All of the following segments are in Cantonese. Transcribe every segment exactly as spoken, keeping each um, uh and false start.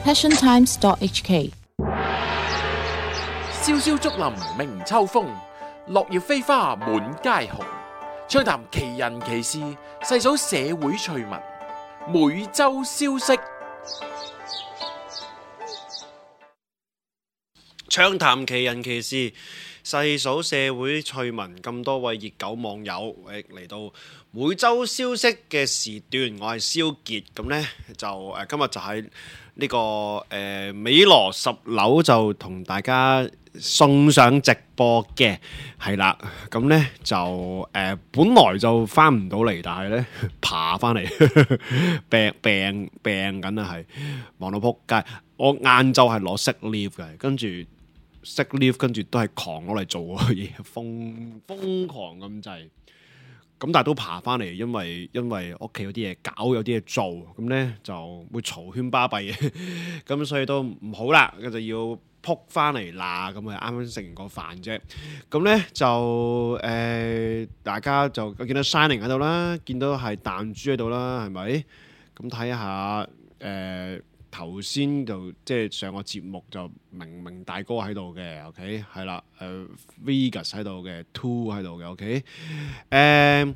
passion times dot h k。 蕭蕭竹林鳴秋風，落葉飛花滿街紅。暢談奇人奇事，細數社會趣聞，每周消息。暢談奇人奇事，細數社會趣聞。咁多位熱狗網友誒嚟到每周消息嘅時段，我係蕭傑。咁呢，就誒、呃、今日就喺呢、這個誒、呃、美羅十樓就同大家送上直播嘅，係啦。咁呢，就誒、呃、本來就翻唔到嚟，但係呢，爬翻嚟病病病緊啊，係忙到撲街。我晏晝係攞 sick leave 嘅，跟住 sick leave 跟住都係狂攞嚟做嘢，瘋瘋狂咁滯。咁但係都爬翻嚟，因為因為屋企有啲嘢搞，有啲嘢做，咁咧就會嘈喧巴閉嘅，咁所以都唔好啦，咁就要撲翻嚟啦。咁啊啱啱食完個飯啫，咁咧就誒、呃、大家就見到 Shining 喺度啦，見到係彈珠喺度啦，係咪？咁睇下誒頭先就即係上個節目就明明大哥喺度嘅 ，OK 係啦，誒、呃、Vegas 喺度嘅 ，Two 喺度嘅 ，OK 誒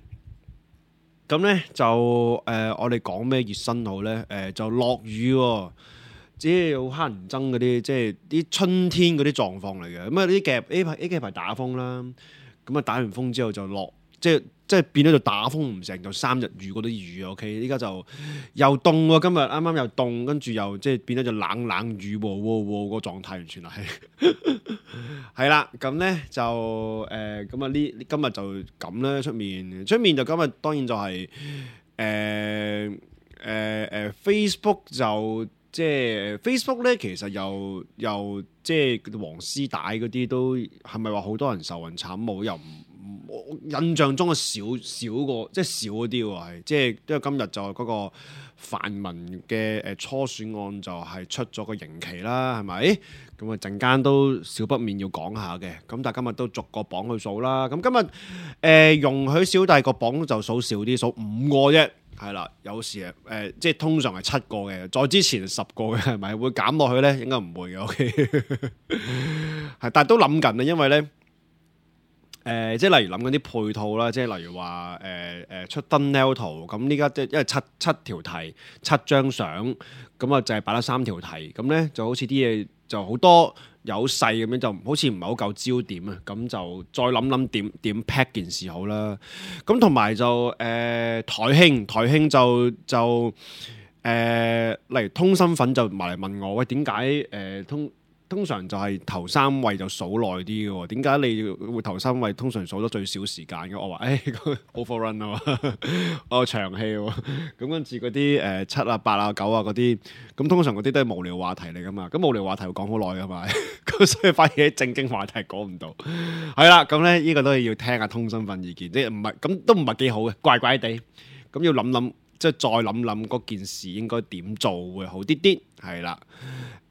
咁咧就誒、呃、我哋講咩熱身好咧？誒、呃、就落雨喎、哦，即係好乞人憎嗰啲，即係啲春天嗰啲狀況嚟嘅。咁啊呢幾日 A 排 A 幾排打風啦，咁啊打完風之後就落，即係。即係變咗就打風唔成，就三日雨嗰啲雨 OK， 依家就又凍喎，今日啱啱又凍，跟住又即係變咗就冷冷雨喎喎喎個狀態，完全係係啦。咁咧就誒咁啊呢今日就咁咧，出面出面就今日當然就係誒誒誒 Facebook 就即係 Facebook 咧，其實又又即係黃絲帶嗰啲都係咪話好多人受運慘冇又唔？我印象中嘅少少過，即係少嗰啲喎，係即係因為今日就嗰個泛民嘅誒初選案就係出咗個刑期啦，係咪？咁啊陣間都少不免要講下嘅，咁但係今日都逐個榜去數啦。咁今日誒、呃、容許小弟個榜就數少啲，數五個啫，係啦。有時誒、呃、即係通常係七個嘅，再之前十個嘅係咪？會減落去咧？應該唔會嘅，OK 係，但係都諗緊啊，因為咧。誒、呃，即係例如諗緊啲配套啦，即係例如話誒誒出 thumbnail 圖，咁呢家即係因為七七條題七張相，咁啊就係擺咗三條題，咁咧就好似啲嘢就好多有細咁樣，就好似唔係好夠焦點啊，咁就再諗諗點點 pack 件事好啦。咁同埋就誒、呃、台慶台慶就就誒、呃，例如通身份就埋嚟問我，喂，點解誒通？通常就係頭三位就數耐啲嘅喎，點解你會頭三位通常數得最少時間嘅？我話誒 overrun 啊嘛，我長氣喎，咁跟住嗰啲誒七啊八啊九啊嗰啲，咁通常嗰啲都係無聊話題嚟噶嘛，咁無聊話題會講好耐噶嘛，咁所以反而啲正經話題講唔到，係啦，咁咧呢個都係要聽下通身份意見，即係唔係咁都唔係幾好嘅，怪怪地，咁要諗諗，即係再諗諗嗰件事應該點做會好啲啲，係啦。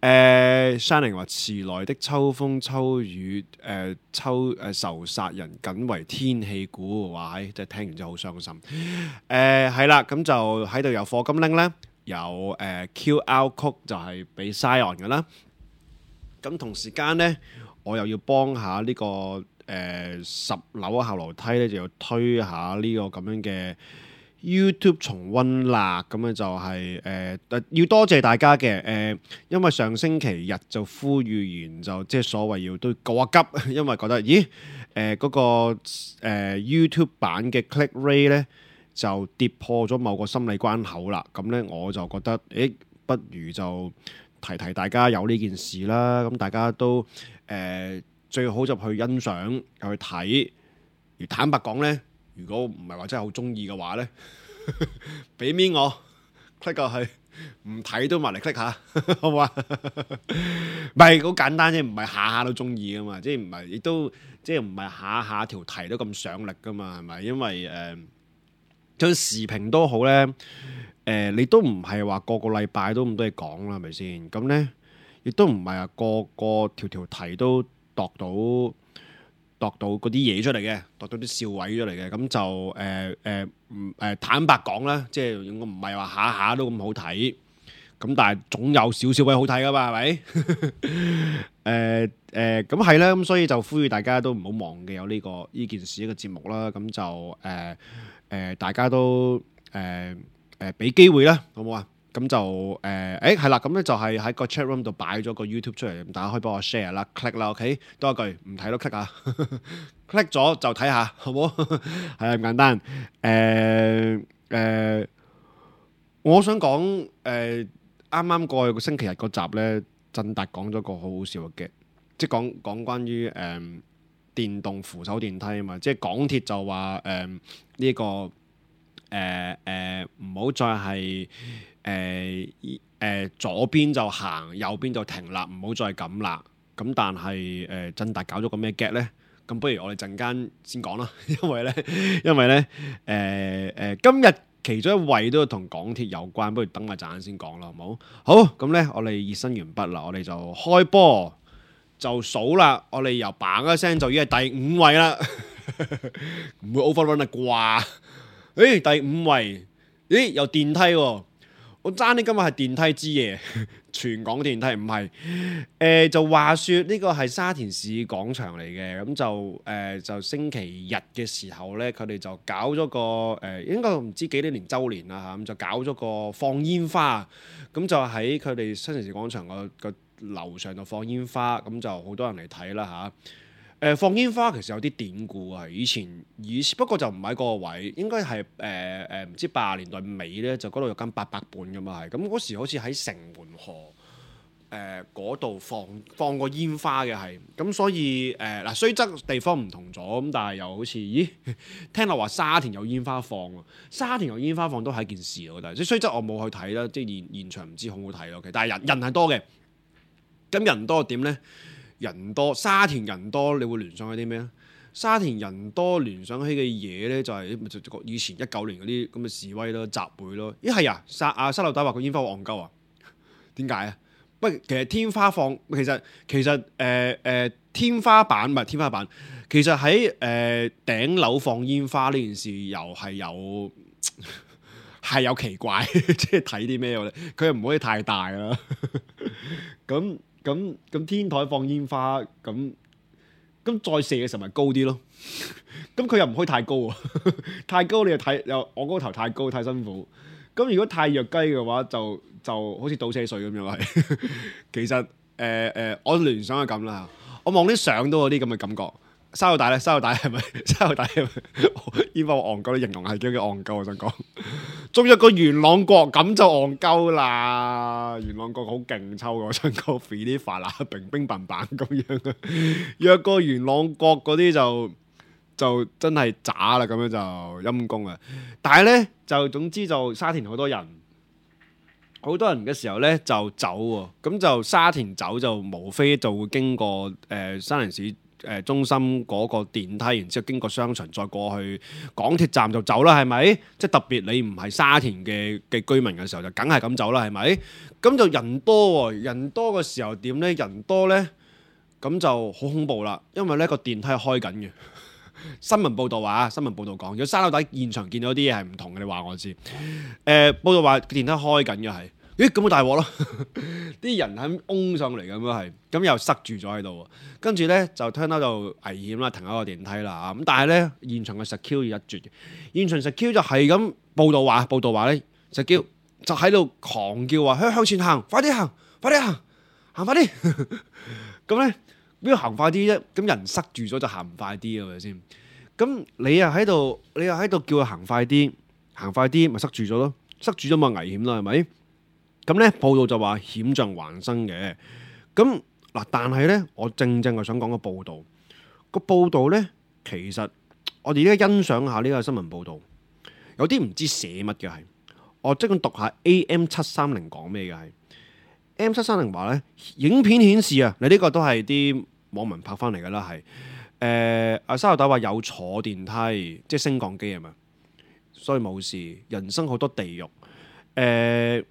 誒 Shining 話遲來的秋風秋雨，誒、呃、秋誒仇殺人，僅為天氣估，哇！即係聽完之後好傷心。誒係啦，咁就喺度有課金拎咧，有誒、呃、Q R code 就係俾 Sion 嘅啦。咁同時間咧，我又要幫下呢、這個誒、呃、十樓後樓梯咧，就要推下呢個咁樣嘅。YouTube 重溫啦，咁樣就係、是、誒、呃，要多謝大家嘅誒、呃，因為上星期日就呼籲完就即係所謂要都告下急，因為覺得咦誒嗰、呃那個、呃、YouTube 版嘅 click rate 咧就跌破咗某個心理關口啦，咁咧我就覺得誒，不如就提提大家有呢件事啦，咁大家都誒、呃、最好就去欣賞去睇，而坦白講咧。如果唔係話真係好中意嘅話咧，俾面我 click 過去，唔睇都埋嚟 click 下，好唔好啊？唔係好簡單啫，唔係下下都中意噶嘛，即係唔係亦都即係唔係下下條題都咁上力噶嘛，係咪？因為誒，就、呃、視頻都好咧，誒、呃，你都唔係話個個禮拜都咁多嘢講啦，係咪先？咁咧，亦都唔係話個個條條題都度到。度到嗰啲嘢出嚟嘅，度到啲笑位出嚟嘅，咁就誒誒唔誒坦白講啦，即係我唔係話下下都咁好睇，咁但係總有少少位好睇噶嘛，係咪？誒誒，咁係啦，咁所以就呼籲大家都唔好忘記有呢、這個呢件事一個節目啦。咁就誒誒、呃呃，大家都誒誒俾機會啦，好唔好啊？咁就誒誒係啦，咁、呃、咧就係喺個 chat room 度擺咗個 YouTube 出嚟，咁大家可以幫我 share 啦 ，click 啦 ，OK， 多一句唔睇都 click 啊，click 咗就睇下，好唔好？係啊，咁簡單。誒、呃、誒、呃，我想講誒。啱啱過去個星期日嗰集咧，振達講咗個好好笑嘅，即係講講關於誒、呃、電動扶手電梯啊嘛，即係港鐵就話誒呢個誒誒唔好再係誒誒左邊就行，右邊就停啦，唔好再咁啦。咁但係誒振達搞咗個咩 get 咧？咁不如我哋陣間先講啦，因為咧因為咧誒誒今日。其中一位都同港鐵有關，不如等埋陣先講啦，好冇？好，咁呢，我哋熱身完畢啦，我哋就開波就數啦，我哋由嘭一聲就已經係第五位啦，唔會 overrun 啊啩？誒，第五位，咦，有電梯喎，我爭啲今日係電梯之夜，全港電梯唔係，誒、呃、就話說呢個係沙田市廣場嚟嘅，咁就誒、呃、就星期日嘅時候呢，佢哋就搞咗個誒、呃，應該唔知幾多年週年啦嚇，咁就搞咗個放煙花，咁就喺佢哋新城市廣場個個樓上度放煙花，咁就好多人嚟睇啦嚇。誒、呃、放煙花其實有啲典故啊，以前以前不過就唔喺嗰個位，應該係誒誒唔知八十年代尾咧，就嗰度有間八佰伴噶嘛係，咁嗰時好似喺城門河誒嗰度放放過煙花嘅係，咁所以誒嗱雖則地方唔同咗，咁但係又好似咦聽落話沙田有煙花放喎，沙田有煙花放都係一件事我覺得，即係雖則我冇去睇啦，即係現現場唔知好唔好睇咯，但係人人係多嘅，咁人多點咧？人多，沙田人多，你會聯想起啲咩咧？沙田人多聯想起嘅嘢咧，就係、是、以前一九年嗰啲咁嘅示威咯、集會咯。咦係啊，沙啊沙漏底話個煙花好戇鳩啊？點解啊？不，其實天花放，其實其實誒誒、呃呃、天花板唔係天花板，其實喺誒、呃、頂樓放煙花呢件事又係有係有奇怪，即係睇啲咩咧？佢又唔可以太大啦，咁。咁咁天台放煙花，咁咁再射嘅時候咪高啲咯。咁佢又唔可以太高啊，太高你又睇又我嗰個頭太高太辛苦。咁如果太弱雞嘅話，就就好似倒車水咁樣係。其實誒誒、呃呃，我聯想係咁啦。我望啲相都有啲咁嘅感覺。沙老大咧，沙老大係咪？沙老大係咪？煙花戇鳩，形容係叫叫戇鳩。我想講，仲有個元朗國咁就戇鳩啦。元朗國好勁抽嘅，我想講 free 啲發啦，冰冰棒棒咁樣。若個元朗國嗰啲就就真係渣啦，咁樣就陰公啊。但係咧就總之就沙田好多人，好多人嘅時候咧就走喎。咁就沙田走就無非就會經過誒、呃、沙田市。誒中心嗰個電梯，然之後經過商場，再過去港鐵站就走啦，係咪？即係特別你唔係沙田嘅嘅居民嘅時候，就梗係咁走啦，係咪？咁就人多喎，人多嘅時候點呢？人多呢，咁就好恐怖啦，因為呢個電梯係開緊嘅。新聞報導話，新聞報導講，如果沙樓底現場見到啲嘢係唔同嘅，你話我知。誒、呃、報導話電梯開緊嘅係。咦咁好大鑊咯！啲人喺擁上嚟咁樣係，咁又塞住咗喺度，跟住咧就聽到就危險啦，停一個電梯啦。咁但係咧現場嘅 security 一絕，現場 security 就係咁報道話，報道話咧 security 就喺度狂叫話向向前行，快啲行，快啲行，行快啲。咁咧邊度行快啲啫？咁人塞住咗就行唔快啲係咪先？咁你又喺度，你又喺度叫佢行快啲，行快啲咪塞住咗咯？塞住咗咪危險啦，係咪？咁咧報道就話險象環生嘅，咁嗱，但係咧，我正正係想講個報道，個報道咧，其實我哋而家欣賞下呢個新聞報道，有啲唔知寫乜嘅係，我即管讀下 A M 七三零講咩嘅係 A M 七三零話咧，影片顯示啊，你呢個都係啲網民拍翻嚟噶啦，係誒阿沙頭豆話有坐電梯，即係升降機係咪？所以冇事，人生好多地獄誒。呃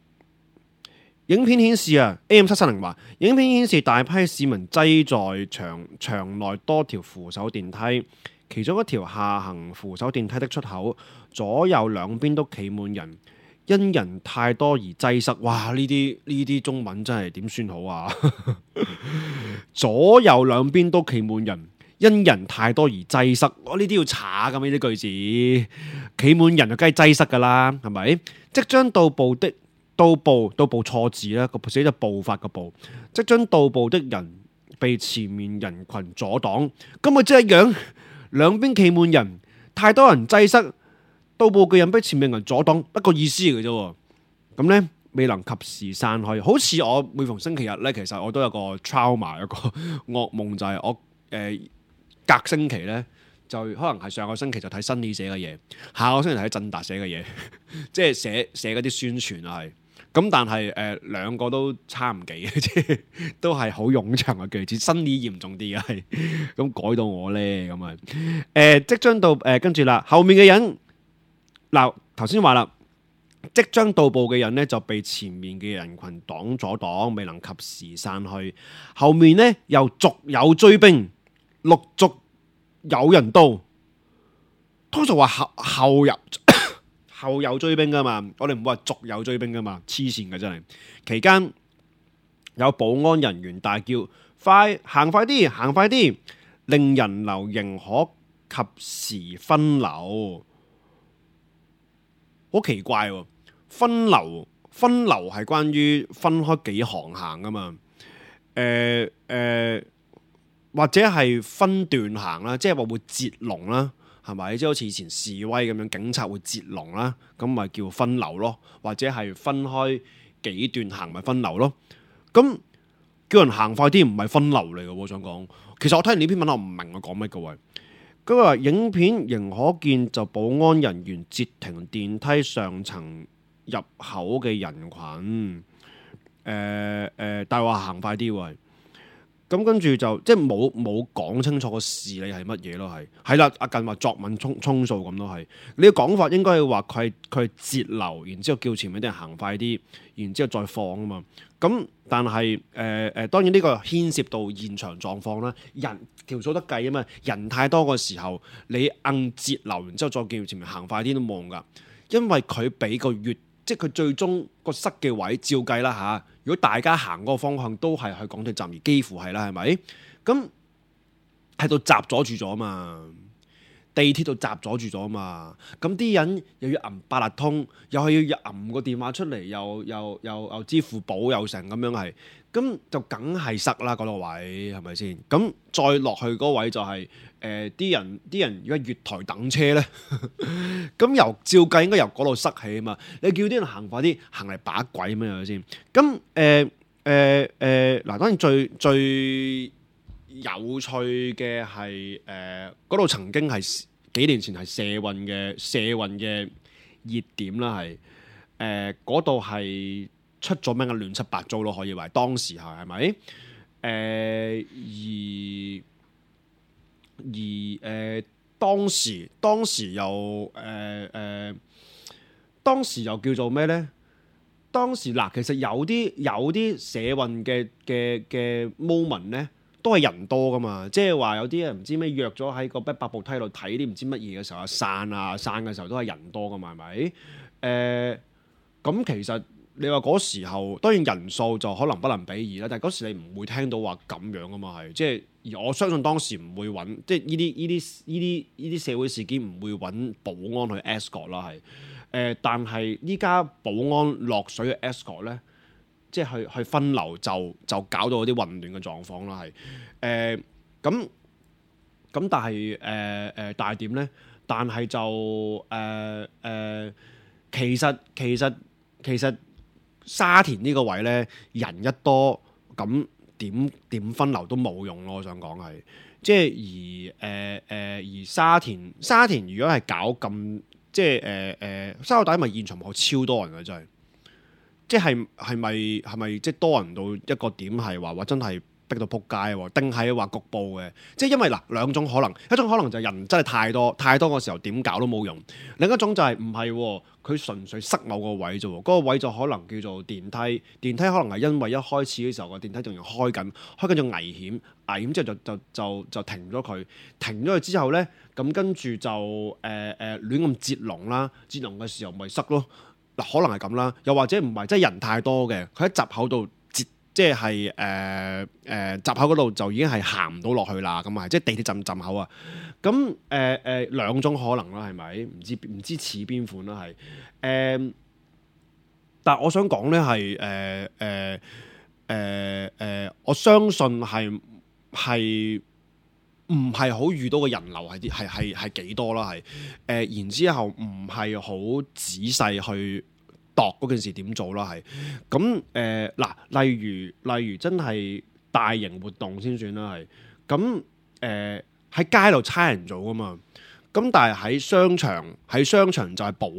影片顯示啊 ，A M 七三零話，影片顯示大批市民擠在場場內多條扶手電梯，其中一條下行扶手電梯的出口，左右兩邊都企滿人，一因人太多而擠塞。哇！呢啲呢啲中文真係點算好啊？左右兩邊都企滿人，因人太多而擠塞。我呢啲要查㗎嘛？呢啲句子企滿人就梗係擠塞㗎啦，係咪？即將到步的到步到步錯字啦，個寫咗步伐嘅步。即將到步的人被前面人群阻擋，咁咪即係一樣，兩邊企滿人，太多人擠塞。到步嘅人俾前面人阻擋，一個意思嚟嘅啫。咁呢，未能及時散去，好似我每逢星期日呢，其實我都有個 trauma，有個噩夢，就係、是、我誒、呃、隔星期呢，就可能係上個星期就睇新李寫嘅嘢，下個星期睇振達寫嘅嘢，即係寫寫嗰啲宣傳啊係。咁但係誒、呃、兩個都差唔幾嘅，即係都係好冗長嘅句子，新李嚴重啲嘅係。咁改到我呢，咁啊誒即將到誒跟住啦，後面嘅人。嗱，頭先話啦，即將到步嘅人呢，就被前面嘅人群擋阻擋，未能及時散去。後面呢，又續有追兵，陸續有人到。通常話後後有後有追兵噶嘛，我哋唔會話續有追兵噶嘛，黐線嘅真係。期間有保安人員大叫：快行快啲，行快啲，令人流仍可及時分流。好奇怪喎，分流分流係關於分開幾行行噶嘛？誒、呃、誒、呃，或者係分段行啦，即係話會截龍啦，係咪？即係好似以前示威咁樣，警察會截龍啦，咁咪叫分流咯。或者係分開幾段行，咪分流咯。咁叫人行快啲，唔係分流嚟嘅。我想講，其實我睇完呢篇文，我唔明我講乜嘅喎。佢話影片仍可見就保安人員截停電梯上層入口嘅人群，誒、呃、誒、呃，但係話行快啲喎，咁跟住就即係冇冇講清楚個事理係乜嘢咯，係係啦，阿近話作文充充數咁咯，係你嘅講法應該係話佢係佢係截流，然之後叫前面啲人行快啲，然之後再放啊嘛。咁但係誒誒，當然呢個牽涉到現場狀況啦，人條數得計啊嘛，人太多嘅時候，你硬截流，然之後再叫前面行快啲都冇用噶，因為佢俾個月，即係佢最終個塞嘅位照計啦嚇。如果大家行嗰個方向都係去港鐵站，而幾乎係啦，係咪？咁喺度閘阻住咗嘛，地鐵度閘阻住咗嘛，咁啲人又要揞八達通，又係要揞個電話出嚟，又又又又支付寶又成咁樣係，咁就梗係塞啦嗰個位，係咪先？咁再落去嗰位就係誒啲人啲人如果月台等車咧，咁由照計應該由嗰度塞起啊嘛，你叫啲人行快啲，行嚟把鬼咩係咪先？咁誒誒誒嗱，當然最最有趣嘅係誒嗰度曾經係幾年前係社運嘅社運嘅熱點啦，係誒嗰度係出咗名嘅亂七八糟咯，可以話當時係係咪？誒、呃、而而誒、呃、當時當時又誒誒、呃呃、當時又叫做咩咧？當時嗱，其實有啲有啲社運嘅嘅嘅 moment 咧。都係人多噶嘛，即係話有啲人唔知咩約咗喺個百步梯度睇啲唔知乜嘢嘅時候啊，散啊散嘅時候都係人多噶嘛，係咪？誒、呃，咁其實你話嗰時候當然人數就可能不能比擬啦，但係嗰時你唔會聽到話咁樣噶嘛，係即係而我相信當時唔會揾，即係呢啲呢啲呢啲呢啲社會事件唔會揾保安去 escort 啦，係誒、呃，但係依家保安落水嘅 escort 咧。即係去去分流就就搞到啲混亂嘅狀況啦，係誒咁咁，但係誒誒，但係點咧？但係就誒誒、呃呃，其實其實其實沙田呢個位咧，人一多咁點點分流都冇用咯。我想講係即係而誒誒、呃、而沙田沙田如果係搞咁即係誒誒沙田咪現場好超多人嘅真係。即係係咪係咪即係多人到一個點係話話真係逼到撲街喎？定係話局部嘅？即係因為嗱兩種可能，一種可能就係人真係太多太多嘅時候點搞都冇用；另一種就係唔係佢純粹塞某個位啫喎，嗰、嗰個位就可能叫做電梯，電梯可能係因為一開始嘅時候個電梯仲要開緊，開緊就危險，危險之後就就就就停咗佢，停咗佢之後咧，咁跟住就誒誒、呃呃、亂咁截龍啦，截龍嘅時候咪塞咯。嗱可能係咁啦，又或者唔係，即係人太多嘅，佢喺閘口度截，即係誒誒閘口嗰度就已經係行唔到落去啦，咁啊，即係地鐵站站口啊。咁誒誒兩種可能啦，係咪？唔知唔知似邊款啦，係誒、呃。但係我想講咧係誒誒誒誒，我相信係係。唔係好遇到嘅人流係啲係係係幾多啦，係誒、呃、然之後唔係好仔細去度嗰件事點做啦，係咁誒嗱，例如例如真係大型活動先算啦，係咁誒喺街度差人做噶嘛，咁但係喺商場喺商場就係保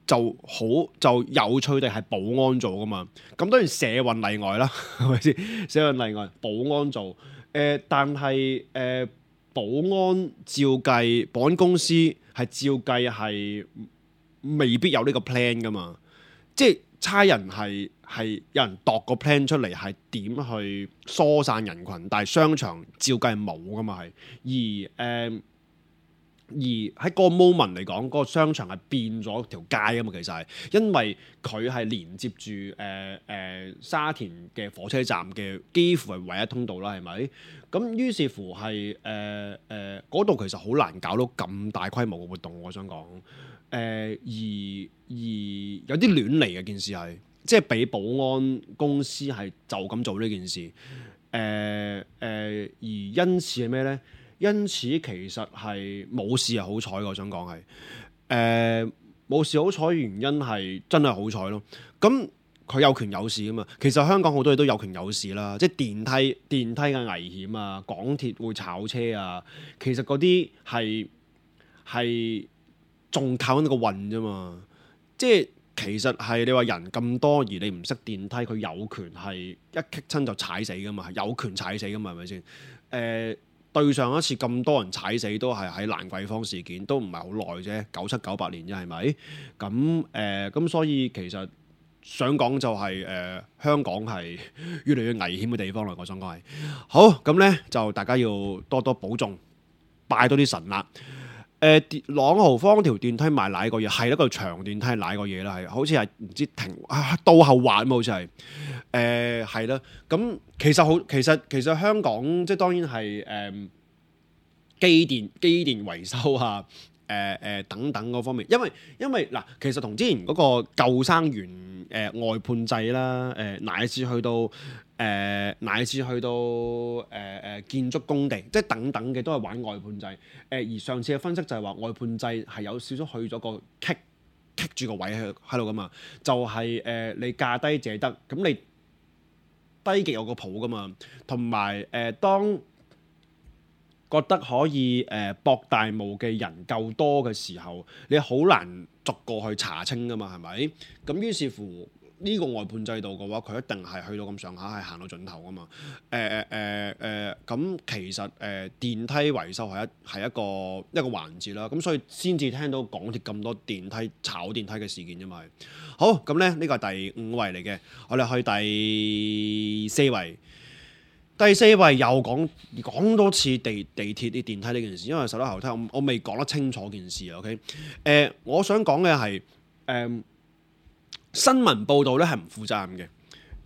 就好就有趣地係保安做噶嘛，咁當然社運例外啦，係咪先？社運例外，保安做。誒、呃，但係誒、呃，保安照計，保安公司係照計係未必有呢個 plan 噶嘛，即係差人係係有人度個 plan 出嚟係點去疏散人群，但係商場照計係冇噶嘛係，而誒。呃而喺嗰個 moment 嚟講，嗰、嗰個商場係變咗條街啊嘛，其實係因為佢係連接住誒誒沙田嘅火車站嘅幾乎係唯一通道啦，係咪？咁於是乎係誒誒嗰度其實好難搞到咁大規模嘅活動，我想講誒、呃，而而有啲亂嚟嘅件事係，即係俾保安公司係就咁做呢件事，誒、呃、誒、呃，而因此係咩咧？因此其實係冇事係好彩，我想講係誒冇事好彩，原因係真係好彩咯。咁佢有權有事啊嘛。其實香港好多嘢都有權有事啦，即係電梯電梯嘅危險啊，港鐵會炒車啊，其實嗰啲係係仲靠緊個運啫嘛。即係其實係你話人咁多，而你唔識電梯，佢有權係一棘親就踩死噶嘛，有權踩死噶嘛，係咪先？誒、呃。對上一次咁多人踩死都係喺蘭桂坊事件，都唔係好耐啫，九七九八年啫，係咪？咁誒咁，所以其實想講就係、是、誒、呃、香港係越嚟越危險嘅地方啦。我想講係好咁咧，就大家要多多保重，拜多啲神啦。誒、呃，朗豪坊條電梯賣奶個嘢係一個長電梯奶個嘢啦，係好似係唔知停啊倒後滑咁，好似係。誒係啦，咁、呃、其實好，其實其實香港即係當然係誒、呃、機電機電維修啊，誒、呃、誒、呃、等等嗰方面，因為因為嗱，其實同之前嗰個救生員誒、呃、外判制啦，誒、呃、乃至去到誒、呃、乃至去到誒誒、呃、建築工地，即係等等嘅都係玩外判制。誒、呃、而上次嘅分析就係話外判制係有少少去咗個棘棘住個位喺喺度噶嘛，就係、是、誒、呃、你價低者得，咁你。低極有個譜噶嘛，同埋誒當覺得可以誒、呃、博大霧嘅人夠多嘅時候，你好難逐個去查清噶嘛，係咪？咁於是乎呢、這個外判制度嘅話，佢一定係去到咁上下，係行到盡頭噶嘛。誒誒誒誒，咁、呃呃、其實誒、呃、電梯維修係一係一個一個環節啦，咁所以先至聽到港鐵咁多電梯炒電梯嘅事件啫嘛。好，咁咧呢個係第五位嚟嘅，我哋去第四位。第四位又講講多次地地鐵啲電梯呢件事，因為十樓後梯我我未講得清楚件事啊。OK，誒、呃，我想講嘅係誒新聞報導咧係唔負責任嘅。誒、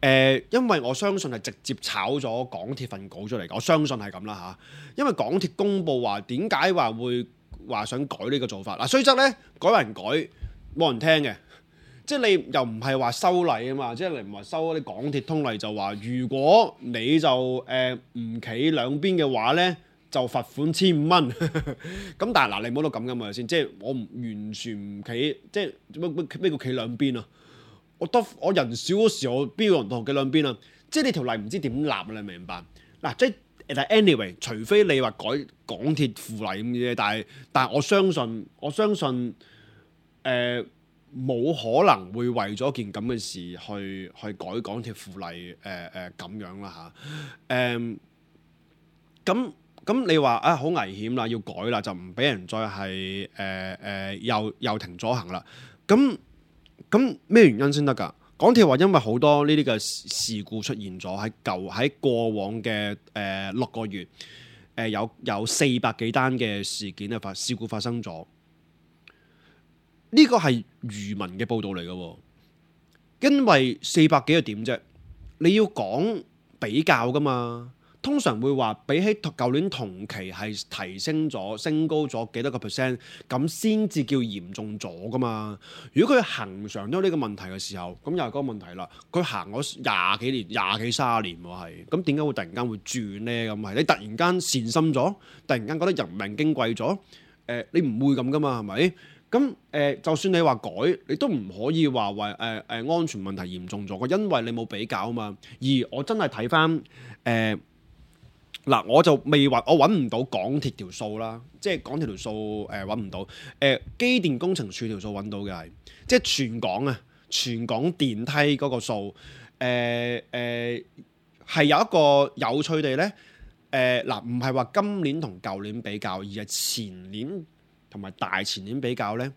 呃，因為我相信係直接炒咗港鐵份稿出嚟，我相信係咁啦嚇。因為港鐵公佈話點解話會話想改呢個做法嗱，雖則咧改還改冇人聽嘅。即係你又唔係話修例啊嘛，即係你唔係修啲港鐵通例就話，如果你就誒唔企兩邊嘅話咧，就罰款千五蚊。咁但係嗱，你唔好到咁噶嘛先，即係我唔完全唔企，即係咩咩咩叫企兩邊啊？我得我人少嗰時候，我邊有人同企兩邊啊？即係你條例唔知點立啊？你明唔明白？嗱，即係但係 anyway，除非你話改港鐵附例咁嘅嘢，但係但係我相信我相信誒。呃冇可能會為咗件咁嘅事去去改港鐵附例誒誒咁樣啦嚇誒咁咁你話啊好危險啦，要改啦，就唔俾人再係誒誒又又停咗行啦。咁咁咩原因先得㗎？港鐵話因為好多呢啲嘅事故出現咗喺舊喺過往嘅誒、呃、六個月誒、呃、有有四百幾單嘅事件啊發事故發生咗。呢個係漁民嘅報道嚟嘅，因為四百幾個點啫，你要講比較噶嘛。通常會話比起舊年同期係提升咗、升高咗幾多個 percent， 咁先至叫嚴重咗噶嘛。如果佢恆常都有呢個問題嘅時候，咁又係嗰個問題啦。佢行咗廿幾年、廿幾三十年喎，係咁點解會突然間會轉呢？咁係你突然間善心咗，突然間覺得人命矜貴咗，誒、呃、你唔會咁噶嘛，係咪？咁誒、呃，就算你話改，你都唔可以話為誒誒安全問題嚴重咗嘅，因為你冇比較啊嘛。而我真係睇翻誒。呃嗱，我就未話，我揾唔到港鐵條數啦，即係港鐵條數誒揾唔到，誒、呃、機電工程署條數揾到嘅係，即係全港啊，全港電梯嗰個數，誒誒係有一個有趣地咧，誒嗱唔係話今年同舊年比較，而係前年同埋大前年比較咧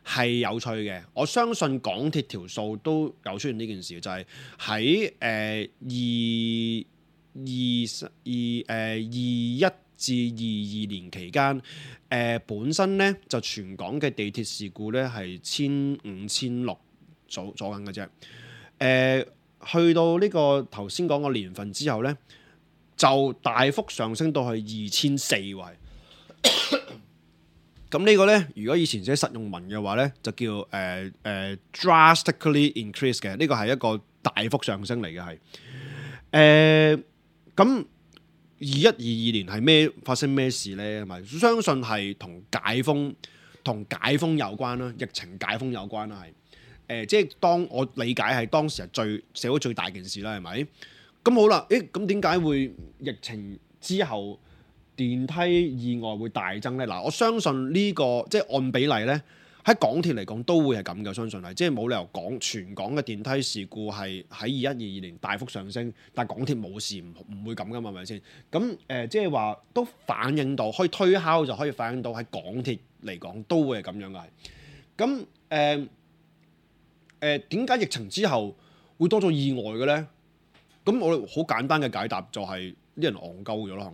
係有趣嘅。我相信港鐵條數都有出現呢件事，就係喺誒二。二十二誒二一至二二年期間，誒、呃、本身咧就全港嘅地鐵事故咧係千五千六左左緊嘅啫。誒、呃、去到呢個頭先講個年份之後咧，就大幅上升到去二千四位。咁呢個咧，如果以前寫實用文嘅話咧，就叫誒誒、呃呃、drastically increase 嘅。呢個係一個大幅上升嚟嘅，係誒。呃咁二一二二年係咩發生咩事咧？係咪相信係同解封同解封有關啦？疫情解封有關啦，係誒、呃，即係當我理解係當時係最社會最大件事啦，係咪？咁好啦，誒咁點解會疫情之後電梯意外會大增咧？嗱，我相信呢、這個即係按比例咧。喺港鐵嚟講都會係咁嘅，相信係，即係冇理由講全港嘅電梯事故係喺二一二二年大幅上升，但係港鐵冇事，唔唔會咁噶嘛，係咪先？咁誒、呃，即係話都反映到，可以推敲就可以反映到喺港鐵嚟講都會係咁樣嘅。咁誒誒，點解疫情之後會多咗意外嘅咧？咁我哋好簡單嘅解答就係、是、啲人戇鳩咗咯，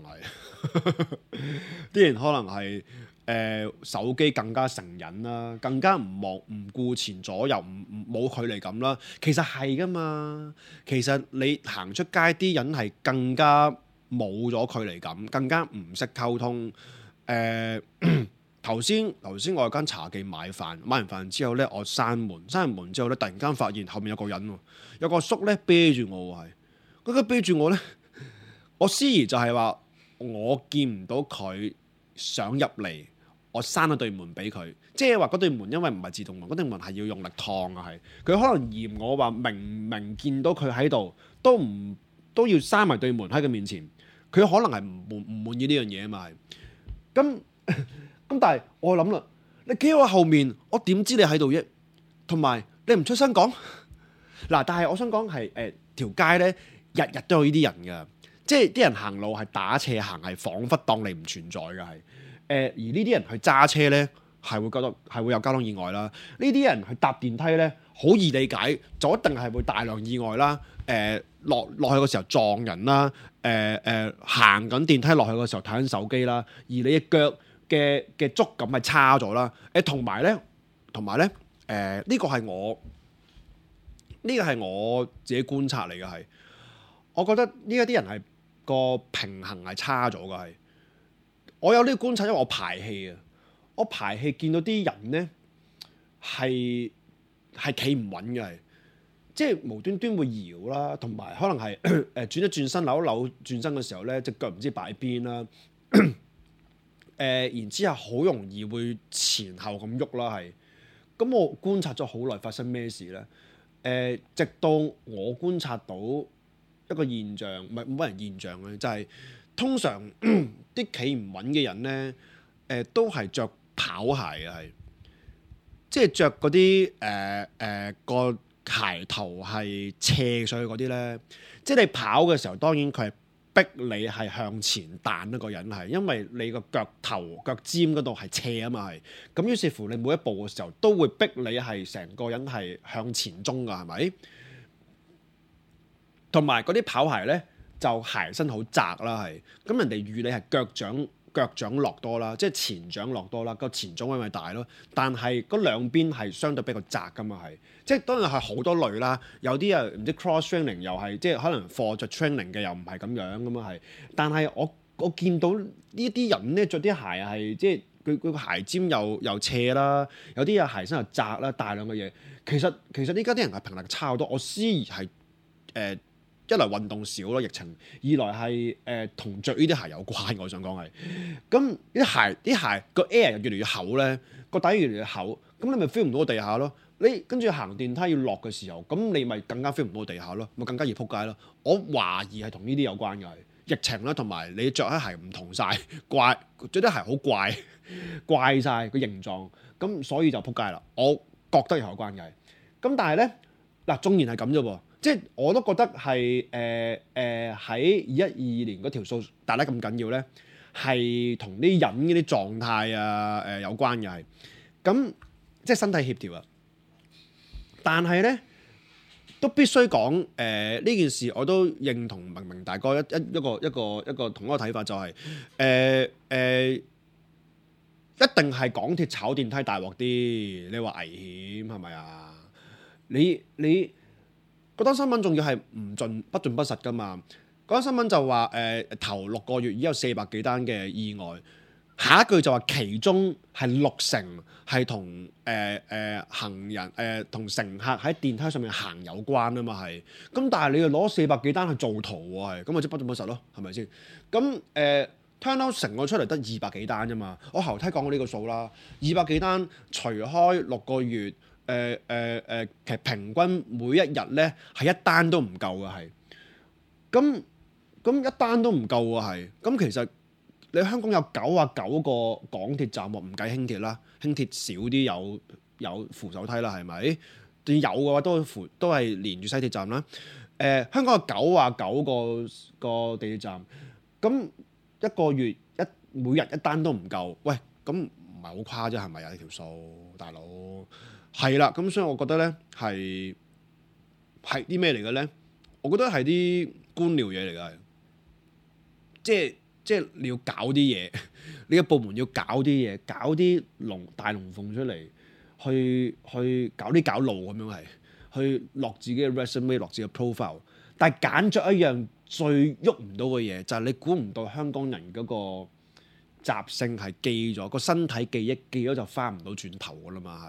可能係啲人可能係。誒、呃、手機更加成癮啦，更加唔望唔顧前左右，唔唔冇距離感啦。其實係噶嘛，其實你行出街啲人係更加冇咗距離感，更加唔識溝通。誒頭先頭先我喺間茶記買飯，買完飯之後咧，我閂門，閂完門之後咧，突然間發現後面有個人喎，有個叔咧啤住我喎，係嗰個啤住我咧，我思疑就係話我見唔到佢想入嚟。我閂咗對門俾佢，即係話嗰對門因為唔係自動門，嗰對門係要用力燙啊，係佢可能嫌我話明明見到佢喺度，都唔都要閂埋對門喺佢面前，佢可能係唔滿唔滿意呢樣嘢啊嘛，係咁咁，但係我諗啦，你企喺我後面，我點知你喺度啫？同埋你唔出聲講嗱，但係我想講係誒條街咧，日日都有呢啲人噶，即係啲人行路係打斜行，係彷彿當你唔存在嘅係。誒而呢啲人去揸車咧，係會覺得係會有交通意外啦。呢啲人去搭電梯咧，好易理解，就一定係會大量意外啦。誒、呃、落落去嘅時候撞人啦。誒誒行緊電梯落去嘅時候睇緊手機啦。而你嘅腳嘅嘅觸感係差咗啦。誒同埋咧，同埋咧，誒呢、呃呢個係我呢、呢個係我自己觀察嚟嘅係，我覺得呢一啲人係個平衡係差咗嘅係。我有呢個觀察，因為我排氣啊，我排氣見到啲人咧係係企唔穩嘅，係即係無端端會搖啦，同埋可能係誒轉一轉身扭一扭轉身嘅時候咧，隻腳唔知擺邊啦，誒、呃、然之後好容易會前後咁喐啦，係咁我觀察咗好耐，發生咩事咧？誒、呃，直到我觀察到一個現象，唔係冇人現象嘅，就係、是。通常啲企唔穩嘅人咧，誒、呃、都係着跑鞋嘅，係即係着嗰啲誒誒個鞋頭係斜上去嗰啲咧。即係你跑嘅時候，當然佢係逼你係向前彈一個人係，因為你個腳頭腳尖嗰度係斜啊嘛係。咁於是乎你每一步嘅時候都會逼你係成個人係向前衝㗎，係咪？同埋嗰啲跑鞋咧。就鞋身好窄啦，係咁人哋預你係腳掌腳掌落多啦，即係前掌落多啦，個前掌位咪大咯。但係嗰兩邊係相對比較窄噶嘛，係即係當然係好多類啦。有啲啊唔知 cross training 又係即係可能 for 着 training 嘅又唔係咁樣咁啊係。但係我我見到呢啲人咧着啲鞋係即係佢佢個鞋尖又又斜啦，有啲啊鞋身又窄啦，大量嘅嘢。其實其實依家啲人係平衡差好多。我思疑係誒。呃一來運動少咯，疫情；二來係誒同着呢啲鞋有關。我想講係，咁啲鞋啲鞋個 air 又越嚟越厚咧，個底越嚟越厚，咁你咪 feel 唔到個地下咯。你跟住行電梯要落嘅時候，咁你咪更加 feel 唔到個地下咯，咪更加易仆街咯。我懷疑係同呢啲有關嘅，係疫情啦，同埋你着啲鞋唔同晒，怪着啲鞋好怪，怪晒個形狀，咁所以就仆街啦。我覺得有關嘅，咁但係咧嗱，縱然係咁啫喎。即係我都覺得係誒誒喺二一二二年嗰條數大得咁緊要咧，係同啲人嗰啲狀態啊誒、呃、有關嘅係，咁即係身體協調啊。但係咧都必須講誒呢件事，我都認同明明大哥一一一個一個一個同一個睇法，就係誒誒一定係港鐵炒電梯大鑊啲。你話危險係咪啊？你你。嗰單新聞仲要係唔盡不盡不實㗎嘛？嗰單新聞就話誒、呃、頭六個月已經有四百幾單嘅意外，下一句就話其中係六成係同誒誒行人誒同、呃、乘客喺電梯上面行有關啊嘛係。咁但係你又攞四百幾單去做圖喎係，咁咪即不盡不實咯，係咪先？咁誒 turn out 成個出嚟得二百幾單啫嘛。我後梯講過呢個數啦，二百幾單除開六個月。誒誒誒，其實平均每一日咧係一單都唔夠嘅係，咁咁一單都唔夠喎係，咁其實你香港有九啊九個港鐵站喎，唔計輕鐵啦，輕鐵少啲有有扶手梯啦係咪？有嘅話都扶都係連住西鐵站啦。誒、呃，香港有九啊九個個地鐵站，咁一個月一每日一單都唔夠，喂，咁唔係好誇啫係咪啊？呢條數大佬？係啦，咁所以我覺得咧係係啲咩嚟嘅咧？我覺得係啲官僚嘢嚟㗎，即係即係你要搞啲嘢，你嘅部門要搞啲嘢，搞啲龍大龍鳳出嚟，去去搞啲搞路咁樣係，去落自己嘅 resume， 落自己嘅 profile， 但係揀咗一樣最喐唔到嘅嘢，就係、是、你估唔到香港人嗰、那個。習性係記咗個身體記憶，記咗就翻唔到轉頭噶啦嘛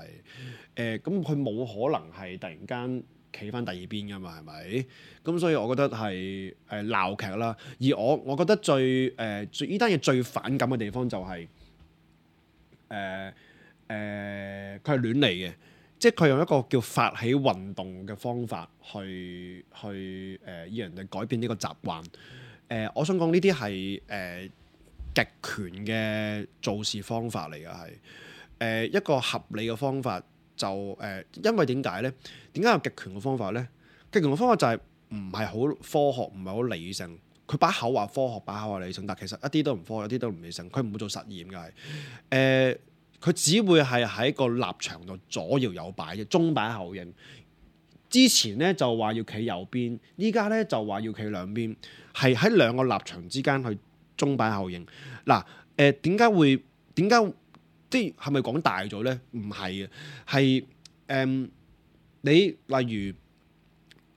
係，誒咁佢冇可能係突然間企翻第二邊噶嘛係咪？咁所以我覺得係誒鬧劇啦。而我我覺得最誒、呃、最呢單嘢最反感嘅地方就係誒誒佢係亂嚟嘅，即係佢用一個叫發起運動嘅方法去去誒要、呃、人哋改變呢個習慣。誒、呃，我想講呢啲係誒。呃極權嘅做事方法嚟嘅係，誒一個合理嘅方法就誒、呃，因為點解咧？點解有極權嘅方法咧？極權嘅方法就係唔係好科學，唔係好理性。佢把口話科學，把口話理性，但其實一啲都唔科學，一啲都唔理性。佢唔會做實驗嘅係，誒、呃、佢只會係喺個立場度左搖右擺嘅鐘擺效應。之前咧就話要企右邊，依家咧就話要企兩邊，係喺兩個立場之間去。鐘擺效應嗱，誒點解會點解即係係咪講大咗咧？唔係嘅，係誒、呃、你例如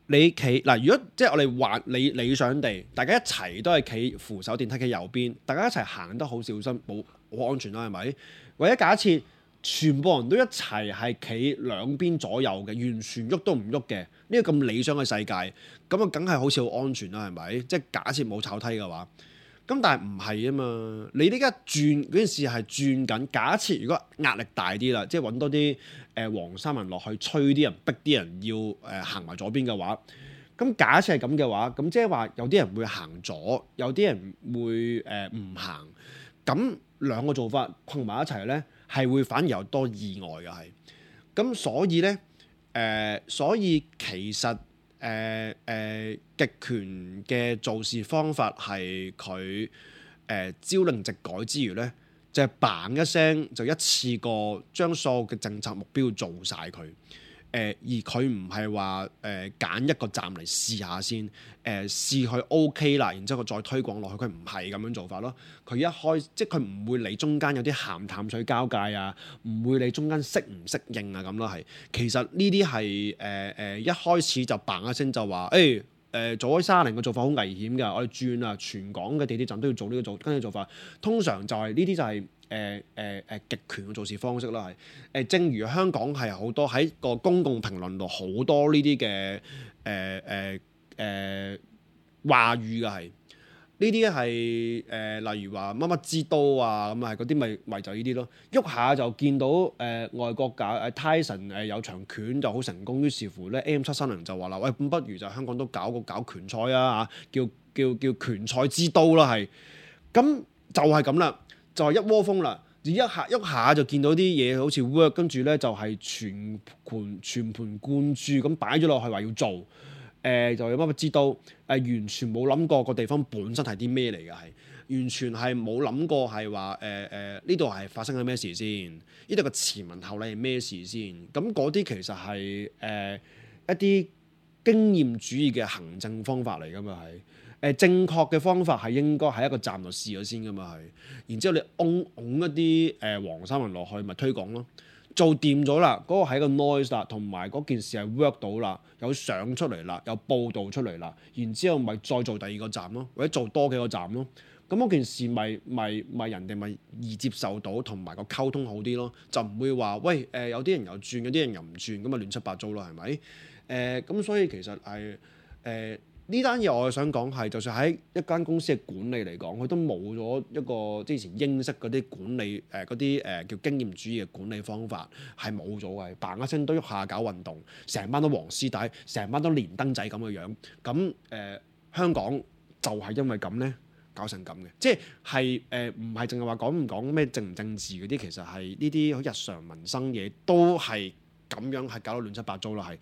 你企嗱，如果即係我哋話理理想地，大家一齊都係企扶手電梯嘅右邊，大家一齊行得好小心，冇好安全啦，係咪？或者假設全部人都一齊係企兩邊左右嘅，完全喐都唔喐嘅，呢個咁理想嘅世界，咁啊梗係好似好安全啦，係咪？即係假設冇炒梯嘅話。咁但係唔係啊嘛？你呢家轉嗰件事係轉緊。假設如果壓力大啲啦，即係揾多啲誒、呃、黃衫人落去催啲人，逼啲人要誒、呃、行埋左邊嘅話，咁假設係咁嘅話，咁即係話有啲人會行左，有啲人會誒唔、呃、行。咁兩個做法困埋一齊咧，係會反而有多意外嘅係。咁所以咧誒、呃，所以其實。誒誒、呃呃、極權嘅做事方法係佢誒朝令夕改之餘咧，就係、是、嘭一聲就一次過將所有嘅政策目標做晒佢。而佢唔係話誒揀一個站嚟試下先，誒、呃、試佢 OK 啦，然之後佢再推廣落去，佢唔係咁樣做法咯。佢一開即係佢唔會理中間有啲鹹淡水交界啊，唔會理中間適唔適應啊咁咯係。其實呢啲係誒誒一開始就嘭一聲就話誒誒做開沙嶺嘅做法好危險㗎，我哋轉啊全港嘅地鐵站都要做呢個做跟住做法。通常就係呢啲就係、是。誒誒誒極權嘅做事方式啦，係誒、呃，正如香港係好多喺個公共評論度好多呢啲嘅誒誒誒話語嘅係，呢啲係誒例如話乜乜之都啊咁啊，嗰啲咪咪就呢啲咯，喐下就見到誒、呃、外國搞誒 Tyson 誒有場拳就好成功，於是乎咧 A M 七三零就話啦，喂咁不如就香港都搞個搞拳賽啊嚇，叫叫叫拳賽之都啦係，咁就係咁啦。就係一窩蜂啦，一下喐下就見到啲嘢好似 work， 跟住咧就係全盤全盤貫注咁擺咗落去話要做，誒、呃、就有乜乜知道，誒、呃、完全冇諗過個地方本身係啲咩嚟嘅，係完全係冇諗過係話誒誒呢度係發生緊咩事先，呢度個前文後理係咩事先，咁嗰啲其實係誒、呃、一啲經驗主義嘅行政方法嚟㗎嘛係。誒正確嘅方法係應該喺一個站度試咗先㗎嘛係，然之後你擁擁一啲誒黃三文落去咪推廣咯，做掂咗啦，嗰、那個係一個 noise 啦，同埋嗰件事係 work 到啦，有相出嚟啦，有報導出嚟啦，然之後咪再做第二個站咯，或者做多幾個站咯，咁嗰件事咪咪咪人哋咪易接受到，同埋個溝通好啲咯，就唔會話喂誒、呃、有啲人又轉，有啲人又唔轉，咁咪亂七八糟咯係咪？誒咁、呃、所以其實係誒。呃呢單嘢我係想講係，就算喺一間公司嘅管理嚟講，佢都冇咗一個之前英式嗰啲管理誒嗰啲誒叫經驗主義嘅管理方法係冇咗嘅，嘭一聲都喐下搞運動，成班都黃絲帶，成班都連登仔咁嘅樣，咁誒、呃、香港就係因為咁咧搞成咁嘅，即係係誒唔係淨係話講唔講咩政唔政治嗰啲，其實係呢啲好日常民生嘢都係。咁樣係搞到亂七八糟啦，係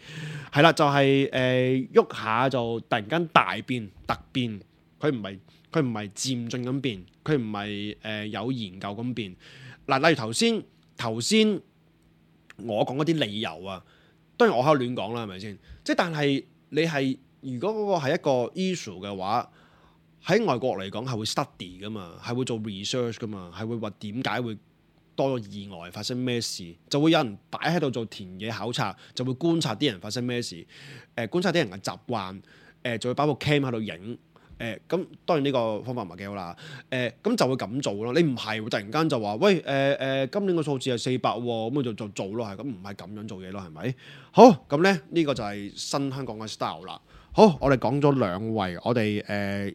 係啦，就係誒喐下就突然間大變突變，佢唔係佢唔係漸進咁變，佢唔係誒有研究咁變。嗱，例如頭先頭先我講嗰啲理由啊，當然我喺度亂講啦，係咪先？即係但係你係如果嗰個係一個 issue 嘅話，喺外國嚟講係會 study 噶嘛，係會做 research 噶嘛，係會話點解會多咗意外發生咩事，就會有人擺喺度做田野考察，就會觀察啲人發生咩事，誒、呃、觀察啲人嘅習慣，誒、呃、就會擺部 cam 喺度影，誒咁當然呢個方法唔係幾好啦，誒、呃、咁就會咁做咯。你唔係會突然間就話喂誒誒、呃呃、今年個數字係四百喎，咁咪就就做咯，係咁唔係咁樣做嘢咯，係咪？好咁咧，呢、呢個就係新香港嘅 style 啦。好，我哋講咗兩位，我哋誒、呃、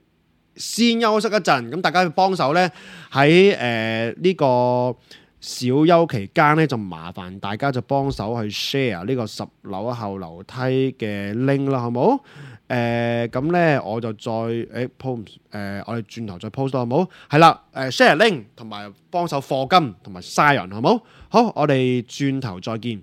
先休息一陣，咁大家幫手咧喺誒呢個小休期間咧，就麻煩大家就幫手去 share 呢個十樓後樓梯嘅 link 啦，好冇？誒咁咧，我就再誒 post 誒，我哋轉頭再 post 到好冇？係啦，誒 share link 同埋幫手課金同埋 sign 人，好冇？好，我哋轉頭再見。